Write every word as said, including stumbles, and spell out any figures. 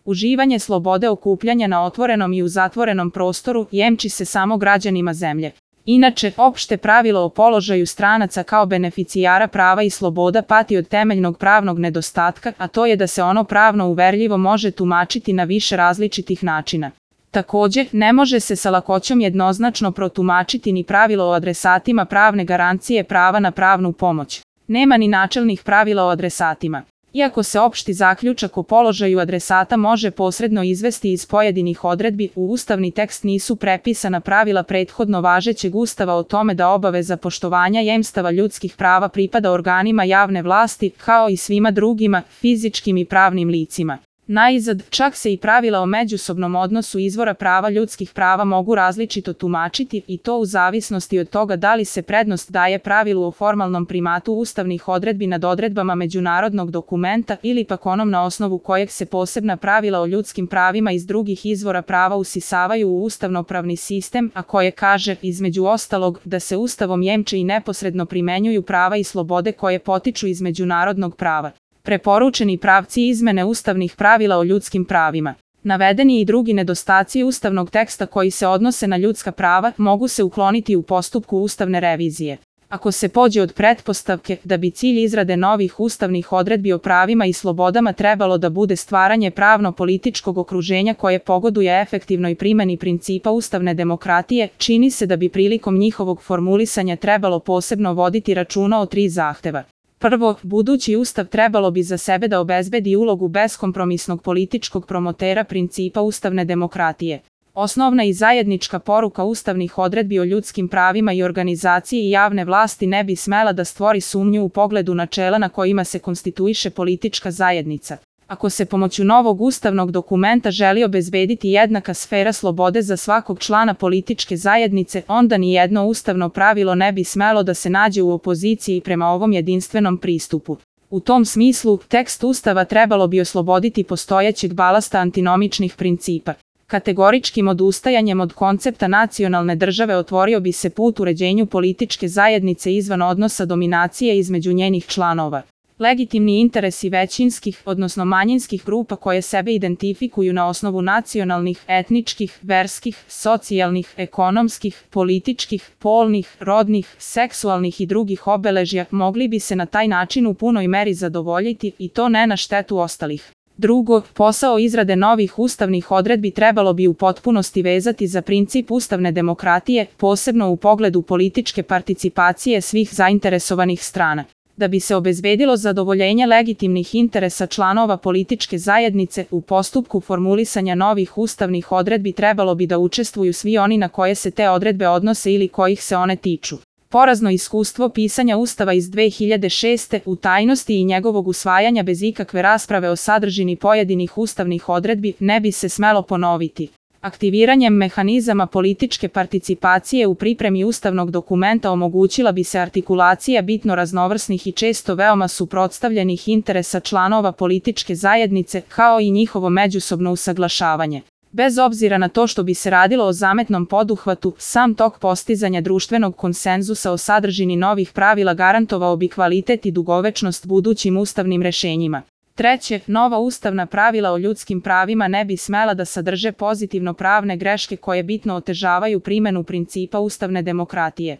Uživanje slobode okupljanja na otvorenom i u zatvorenom prostoru jemči se samo građanima zemlje. Inače, opšte pravilo o položaju stranaca kao beneficijara prava i sloboda pati od temeljnog pravnog nedostatka, a to je da se ono pravno uverljivo može tumačiti na više različitih načina. Takođe, ne može se sa lakoćom jednoznačno protumačiti ni pravilo o adresatima pravne garancije prava na pravnu pomoć. Nema ni načelnih pravila o adresatima. Iako se opšti zaključak o položaju adresata može posredno izvesti iz pojedinih odredbi, u ustavni tekst nisu prepisana pravila prethodno važećeg ustava o tome da obaveza poštovanja jemstava ljudskih prava pripada organima javne vlasti, kao i svima drugima, fizičkim i pravnim licima. Najzad, čak se i pravila o međusobnom odnosu izvora prava ljudskih prava mogu različito tumačiti i to u zavisnosti od toga da li se prednost daje pravilu o formalnom primatu ustavnih odredbi nad odredbama međunarodnog dokumenta ili pak onom na osnovu kojeg se posebna pravila o ljudskim pravima iz drugih izvora prava usisavaju u ustavnopravni sistem, a koje kaže, između ostalog, da se ustavom jemče i neposredno primenjuju prava i slobode koje potiču iz međunarodnog prava. Preporučeni pravci izmene ustavnih pravila o ljudskim pravima. Navedeni i drugi nedostaci ustavnog teksta koji se odnose na ljudska prava mogu se ukloniti u postupku ustavne revizije. Ako se pođe od pretpostavke da bi cilj izrade novih ustavnih odredbi o pravima i slobodama trebalo da bude stvaranje pravno-političkog okruženja koje pogoduje efektivnoj primeni principa ustavne demokratije, čini se da bi prilikom njihovog formulisanja trebalo posebno voditi računa o tri zahteva. Prvo, budući ustav trebalo bi za sebe da obezbedi ulogu beskompromisnog političkog promotera principa ustavne demokratije. Osnovna i zajednička poruka ustavnih odredbi o ljudskim pravima i organizaciji javne vlasti ne bi smela da stvori sumnju u pogledu načela na kojima se konstituiše politička zajednica. Ako se pomoću novog ustavnog dokumenta želi obezbediti jednaka sfera slobode za svakog člana političke zajednice, onda ni jedno ustavno pravilo ne bi smelo da se nađe u opoziciji prema ovom jedinstvenom pristupu. U tom smislu, tekst ustava trebalo bi osloboditi postojećeg balasta antinomičnih principa. Kategoričkim odustajanjem od koncepta nacionalne države otvorio bi se put uređenju političke zajednice izvan odnosa dominacije između njenih članova. Legitimni interesi većinskih, odnosno manjinskih grupa koje sebe identifikuju na osnovu nacionalnih, etničkih, verskih, socijalnih, ekonomskih, političkih, polnih, rodnih, seksualnih i drugih obeležja mogli bi se na taj način u punoj meri zadovoljiti i to ne na štetu ostalih. Drugo, posao izrade novih ustavnih odredbi trebalo bi u potpunosti vezati za princip ustavne demokratije, posebno u pogledu političke participacije svih zainteresovanih strana. Da bi se obezbedilo zadovoljenje legitimnih interesa članova političke zajednice, u postupku formulisanja novih ustavnih odredbi trebalo bi da učestvuju svi oni na koje se te odredbe odnose ili kojih se one tiču. Porazno iskustvo pisanja Ustava iz dve hiljade šeste. u tajnosti i njegovog usvajanja bez ikakve rasprave o sadržini pojedinih ustavnih odredbi ne bi se smelo ponoviti. Aktiviranjem mehanizama političke participacije u pripremi ustavnog dokumenta omogućila bi se artikulacija bitno raznovrsnih i često veoma suprotstavljenih interesa članova političke zajednice, kao i njihovo međusobno usaglašavanje. Bez obzira na to što bi se radilo o zametnom poduhvatu, sam tok postizanja društvenog konsenzusa o sadržini novih pravila garantovao bi kvalitet i dugovečnost budućim ustavnim rešenjima. Treće, nova ustavna pravila o ljudskim pravima ne bi smela da sadrže pozitivno pravne greške koje bitno otežavaju primenu principa ustavne demokratije.